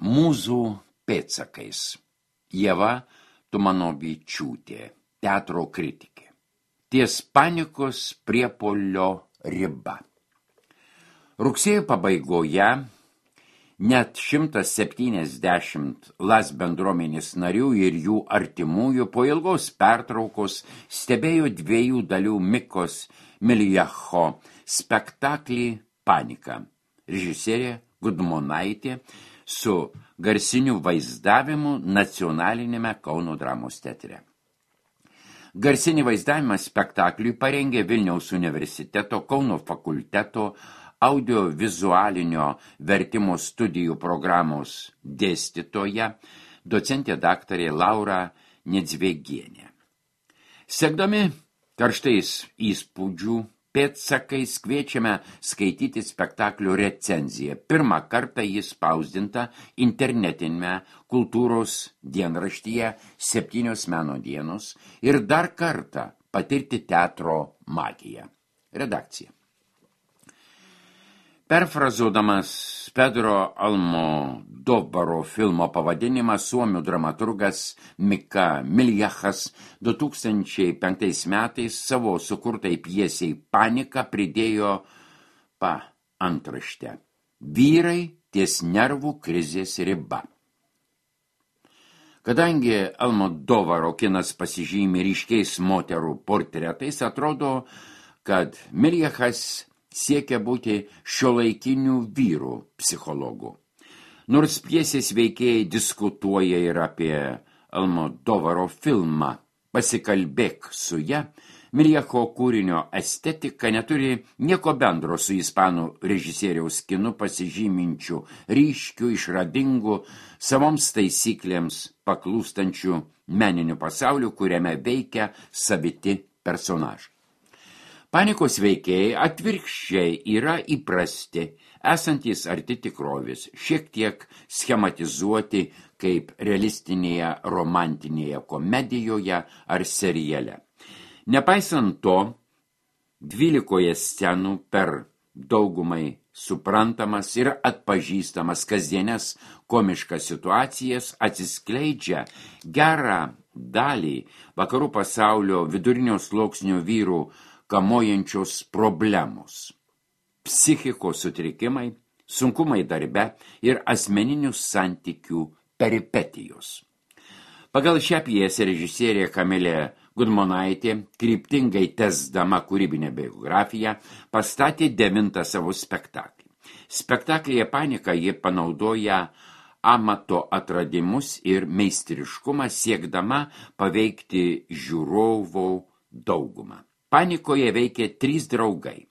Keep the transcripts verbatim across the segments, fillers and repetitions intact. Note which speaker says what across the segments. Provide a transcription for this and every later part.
Speaker 1: Mūzų pėdsakais. Ieva Tumanovičiūtė, teatro kritikė. Ties panikos priepuolio riba. Rugsėjo pabaigoje net šimtas septyniasdešimt Las bendruomenės narių ir jų artimųjų po ilgos pertraukos stebėjo dviejų dalių Mikos Miljacho spektaklį Panika. Režisierė Gudmonaitė su garsiniu vaizdavimu nacionalinėme Kauno dramos teatre. Garsinį vaizdavimą spektakliui parengė Vilniaus universiteto Kauno fakulteto audiovizualinio vertimo studijų programos dėstytoja, docentė daktarė Laura Nedzvegienė. Sekdami karštais įspūdžių pėdsakais kviečiame skaityti spektaklio recenziją. Pirmą kartą jis spausdinta internetinėme kultūros dienraštyje Septynios meno dienos ir dar kartą patirti teatro magiją. Redakcija. Perfrazuodamas Pedro Almodovaro filmo pavadinimą, suomių dramaturgas Mika Miljachas du tūkstančiai penktais metais savo sukurtai pjesei Panika pridėjo pa antraštę. Vyrai ties nervų krizės riba. Kadangi Almodovaro kinas pasižymi ryškiais moterų portretais, atrodo, kad Miljachas siekia būti šiuolaikinių vyrų psichologų. Nors pjesės veikėjai diskutuoja ir apie Almodovaro filmą Pasikalbėk su ja, Miljacho kūrinio estetika neturi nieko bendro su ispanų režisieriaus kinu pasižyminčių ryškių, išradingų, savoms taisyklėms paklūstančių meninių pasaulių, kuriame veikia saviti personažai. Panikos veikėjai atvirkščiai yra įprasti, esantys arti tikrovės, šiek tiek schematizuoti kaip realistinėje romantinėje komedijoje ar seriale. Nepaisant to, dvylikoje scenų per daugumai suprantamas ir atpažįstamas kasdienės komiškas situacijas atsiskleidžia gerą dalį vakarų pasaulio vidurinio sluoksnio vyrų kamuojančios problemos. Psichikos sutrikimai, sunkumai darbe ir asmeninių santykių peripetijos. Pagal šią pjesę režisierė Kamilė Gudmonaitė, kryptingai tesdama kūrybinę biografiją, pastatė devintą savo spektaklį. Spektaklyje Panika ji panaudoja amato atradimus ir meistriškumą siekdama paveikti žiūrovų daugumą. Panikoje veikė trys draugai.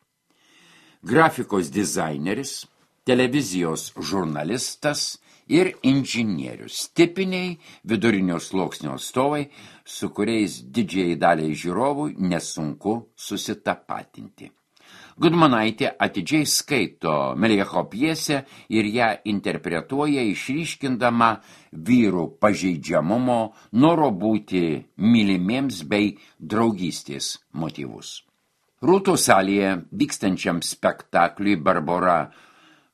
Speaker 1: Grafikos dizaineris, televizijos žurnalistas ir inžinierius. Tipiniai vidurinio sluoksnio atstovai, su kuriais didžiai daliai žiūrovų nesunku susitapatinti. Gudmonaitė atidžiai skaito Miljacho pjesę ir ją interpretuoja išryškindama vyrų pažeidžiamumo, noro būti mylimiems bei draugystės motyvus. Rūtos salėje vykstančiam spektakliui Barbora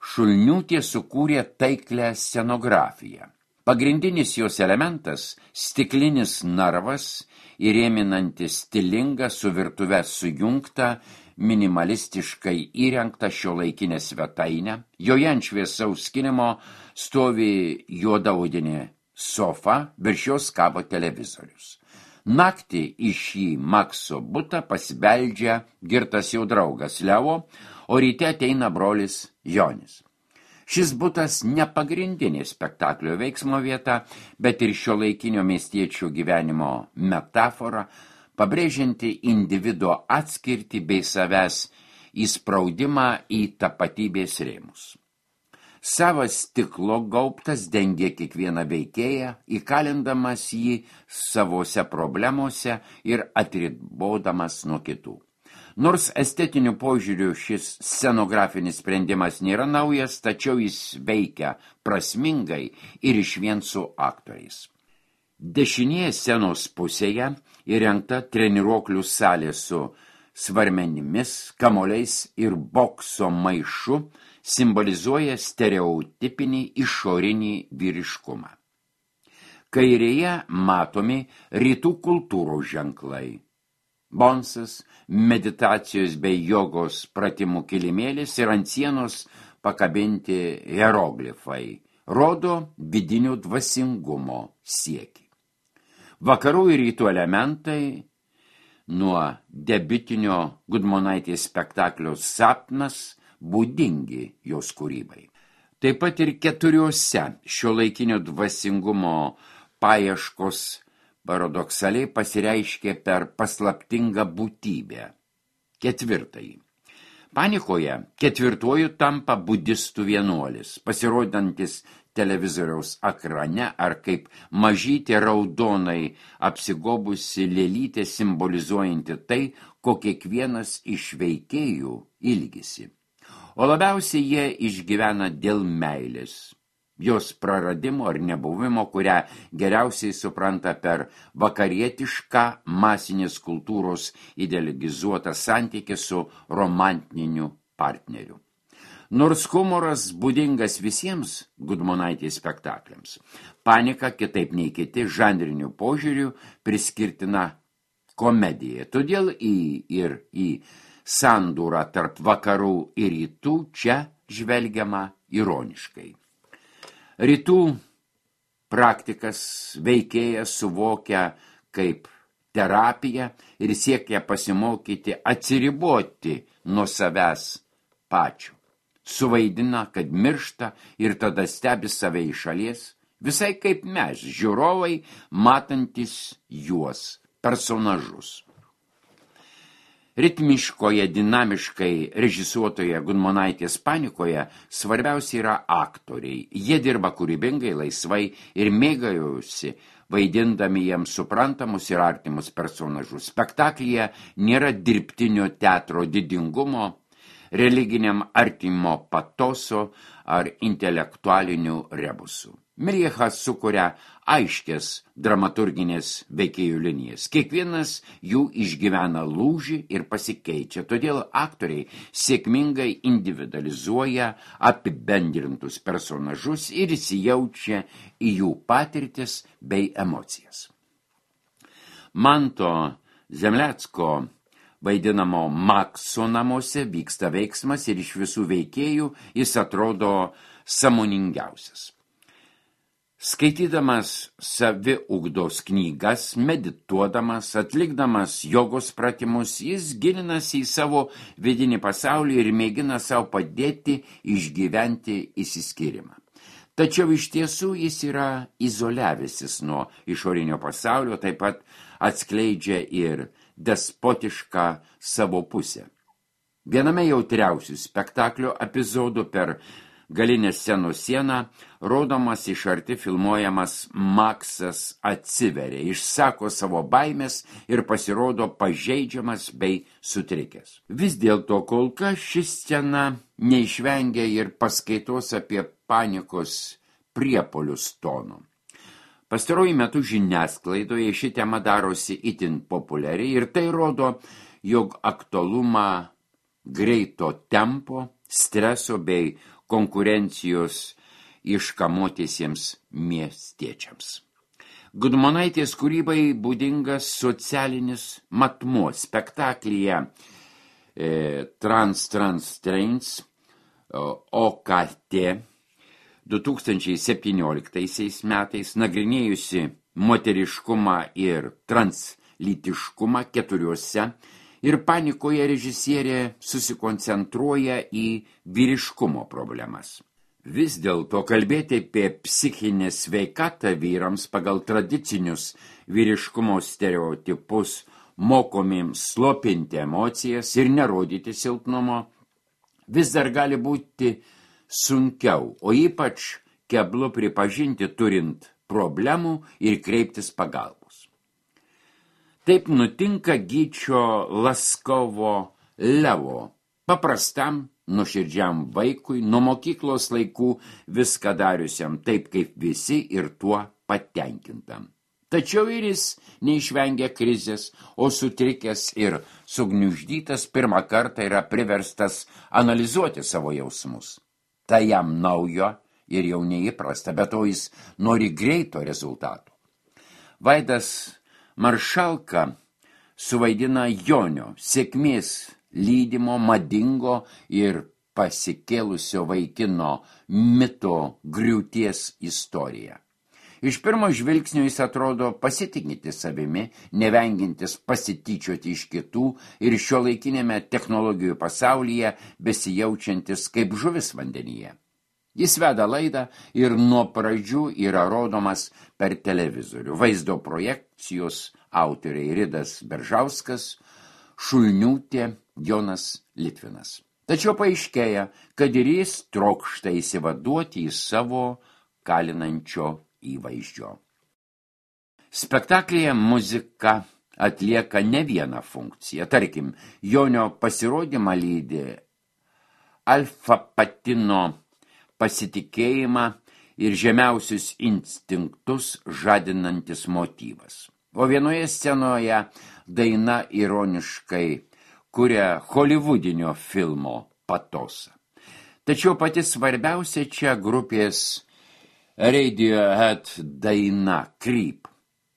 Speaker 1: Šulniūtė sukūrė taiklę scenografiją. Pagrindinis jos elementas – stiklinis narvas, įrėminantis stilingą su virtuve sujungtą, minimalistiškai įrengtą šiuolaikinę svetainę. Joje ant šviesaus skynimo stovi juoda odinė sofa, virš jos kabo televizorius. Naktį į šį Makso butą pasibeldžia girtas jau draugas Levo, o ryte ateina brolis Jonis. Šis butas ne pagrindinė spektaklio veiksmo vieta, bet ir šiuolaikinio miestiečių gyvenimo metafora, pabrėžianti individo atskirtį bei savęs įspraudimą į tapatybės rėmus. Savas stiklo gaubtas dengia kiekvieną veikėją, įkalindamas jį savose problemose ir atribodamas nuo kitų. Nors estetiniu požiūriu šis scenografinis sprendimas nėra naujas, tačiau jis veikia prasmingai ir išvien su aktoriais. Dešinėje scenos pusėje įrengta treniruoklių salė su svarmenimis, kamoliais ir bokso maišu simbolizuoja stereotipinį išorinį vyriškumą. Kairėje matomi rytų kultūros ženklai. Bonsas, meditacijos bei jogos pratimų kilimėlis ir ant sienos pakabinti hieroglifai rodo vidinio dvasingumo siekį. Vakarų ir rytų elementai nuo debiutinio Gudmonaitės spektaklio Sapnas būdingi jos kūrybai. Taip pat ir keturiose šiuolaikinio dvasingumo paieškos paradoksaliai pasireiškė per paslaptingą būtybę. Ketvirtąjį. Panikoje ketvirtuoju tampa budistų vienuolis, pasirodantis televizoriaus ekrane ar kaip mažytė raudonai apsigobusi lėlytė simbolizuojanti tai, ko kiekvienas iš veikėjų ilgisi. O labiausiai jie išgyvena dėl meilės, jos praradimo ar nebuvimo, kurią geriausiai supranta per vakarietišką masinės kultūros idealizuotą santykį su romantiniu partneriu. Nors humoras būdingas visiems Gudmonaitės spektakliams, panika kitaip nei kiti žanrinių požiūrių priskirtina komedija. Todėl į ir į sandūrą tarp vakarų ir rytų čia žvelgiama ironiškai. Rytų praktikas veikėjas suvokia kaip terapiją ir siekia pasimokyti atsiriboti nuo savęs pačių. Suvaidina, kad miršta ir tada stebi save iš šalies, visai kaip mes, žiūrovai, matantis juos, personažus. Ritmiškoje, dinamiškai režisuotoje Gudmonaitės panikoje svarbiausia yra aktoriai. Jie dirba kūrybingai, laisvai ir mėgaujosi, vaidindami jiems suprantamus ir artimus personažus. Spektaklyje nėra dirbtinio teatro didingumo, religiniam artimo patoso ar intelektualinių rebusų. Miljachas sukuria aiškias dramaturginės veikėjų linijas. Kiekvienas jų išgyvena lūžį ir pasikeičia, todėl aktoriai sėkmingai individualizuoja apibendrintus personažus ir įsijaučia į jų patirtis bei emocijas. Manto Zemlecko vaidinamo Makso namuose vyksta veiksmas ir iš visų veikėjų jis atrodo sąmoningiausias. Skaitydamas saviugdos knygas, medituodamas, atlikdamas jogos pratimus, jis gilinasi į savo vidinį pasaulį ir mėgina savo padėti išgyventi išsiskyrimą. Tačiau iš tiesų jis yra izoliavęsis nuo išorinio pasaulio, taip pat atskleidžia ir despotišką savo pusę. Viename jautriausių spektaklio epizodų per galinę scenos sieną rodomas iš arti filmuojamas Maksas atsiveria, išsako savo baimės ir pasirodo pažeidžiamas bei sutrikęs. Vis dėlto kol kas ši scena neišvengia ir paskaitos apie panikos priepolius tonų. Pastaruoju metu žiniasklaidoje ši tema darosi itin populiari ir tai rodo, jog aktualumą greito tempo, streso bei konkurencijos iškamotiesiems miestiečiams. Gudmonaitės kūrybai būdingas socialinis matmuo. Spektaklyje e, Trans Trans Trains O K T du tūkstančiai septynioliktaisiais metais nagrinėjusi moteriškumą ir translytiškumą keturiuose ir panikoje režisierė susikoncentruoja į vyriškumo problemas. Vis dėlto kalbėti apie psichinę sveikatą vyrams pagal tradicinius vyriškumo stereotipus mokomiems slopinti emocijas ir nerodyti silpnumo vis dar gali būti sunkiau, o ypač keblu pripažinti turint problemų ir kreiptis pagalbos. Taip nutinka Gyčio Laskovo Levo, paprastam, nuoširdžiam vaikui, nuo mokyklos laikų viską dariusiam taip kaip visi ir tuo patenkintam. Tačiau ir jis neišvengia krizės, o sutrikęs ir sugniuždytas pirmą kartą yra priverstas analizuoti savo jausmus. Tai jam naujo ir jau neįprasta, bet to jis nori greito rezultato. Vaidas Maršalka suvaidina Jonio, sėkmės lydimo, madingo ir pasikėlusio vaikino mito griūties istoriją. Iš pirmo žvilgsnio jis atrodo pasitikintis savimi, nevengintis pasityčioti iš kitų ir šiuolaikinėme technologijų pasaulyje besijaučiantis kaip žuvis vandenyje. Jis veda laidą ir nuo pradžių yra rodomas per televizorių. Vaizdo projekcijos autoriai Ridas Beržauskas, Šulniūtė, Jonas Litvinas. Tačiau paaiškėja, kad ir jis trokšta įsivaduoti į savo kalinančio įvaizdžio. Spektaklyje muzika atlieka ne vieną funkciją. Tarkim, Jonio pasirodymą lydi alfa-patino pasitikėjimą ir žemiausius instinktus žadinantis motyvas. O vienoje scenoje daina ironiškai kuria holivudinio filmo patosą. Tačiau pati svarbiausia čia grupės Radiohead daina Creep.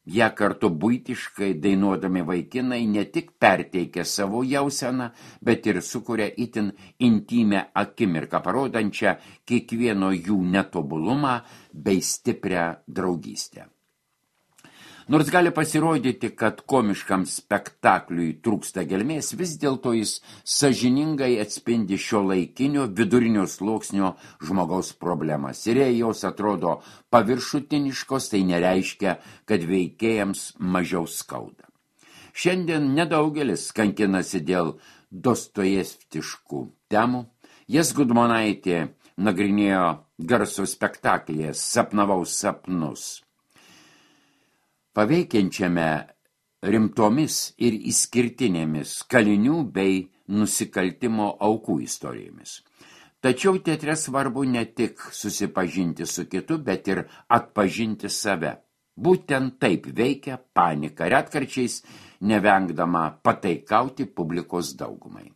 Speaker 1: Ja kartu buitiškai dainuodami vaikinai ne tik perteikia savo jauseną, bet ir sukuria itin intimę akimirką, parodančią kiekvieno jų netobulumą bei stiprią draugystę. Nors gali pasirodyti, kad komiškam spektakliui trūksta gelmės, vis dėlto jis sąžiningai atspindi šiuolaikinio vidurinio sluoksnio žmogaus problemas. Ir jei jos atrodo paviršutiniškos, tai nereiškia, kad veikėjams mažiau skauda. Šiandien nedaugelis kankinasi dėl dostojevskiškų temų. Jas Gudmonaitė nagrinėjo garso spektaklyje Sapnavau sapnus, paveikiančiame rimtomis ir išskirtinėmis kalinių bei nusikaltimo aukų istorijomis. Tačiau teatre svarbu ne tik susipažinti su kitu, bet ir atpažinti save. Būtent taip veikia panika, retkarčiais nevengdama pataikauti publikos daugumai.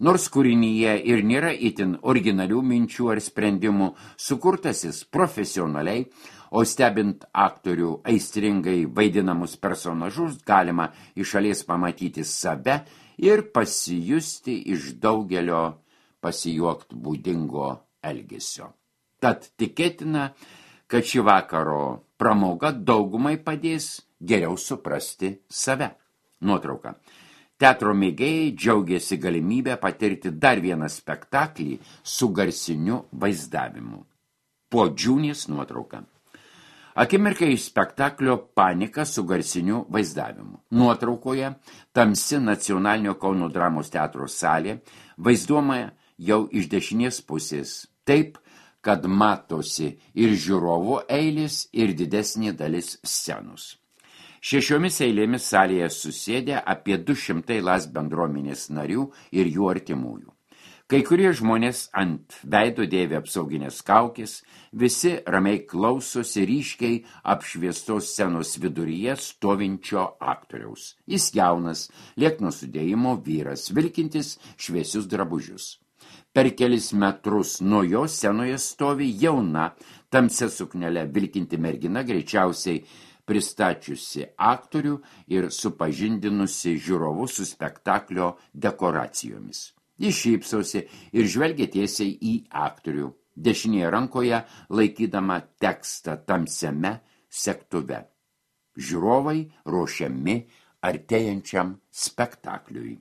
Speaker 1: Nors kūrinyje ir nėra itin originalių minčių ar sprendimų, sukurtasis profesionaliai, o stebint aktorių aistringai vaidinamus personažus, galima iš šalies pamatyti save ir pasijusti iš daugelio pasijuokt būdingo elgesio. Tad tikėtina, kad ši vakaro pramoga daugumai padės geriau suprasti save. Nuotrauka. Teatro mėgėjai džiaugiasi galimybę patirti dar vieną spektaklį su garsiniu vaizdavimu. Po Džiūnės nuotrauka. Akimirkai iš spektaklio Panika su garsiniu vaizdavimu. Nuotraukoje tamsi Nacionalinio Kauno dramos teatro salė vaizduojama jau iš dešinės pusės, taip, kad matosi ir žiūrovų eilės, ir didesnė dalis scenos. Šešiomis eilėmis salėje susėdė apie du šimtai Las bendruomenės narių ir jų artimųjų. Kai kurie žmonės ant veido dėvi apsauginės kaukės, visi ramiai klausosi ryškiai apšviestos scenos viduryje stovinčio aktoriaus. Jis jaunas, liekno sudėjimo vyras, vilkintis šviesius drabužius. Per kelis metrus nuo jo scenoje stovi jauna, tamsia suknele vilkinti mergina, greičiausiai pristačiusi aktorių ir supažindinusi žiūrovus su spektaklio dekoracijomis. Jis šypsosi ir žvelgia tiesiai į aktorių, dešinėje rankoje laikydama tekstą tamsiame segtuve. Žiūrovai ruošiami artėjančiam spektakliui.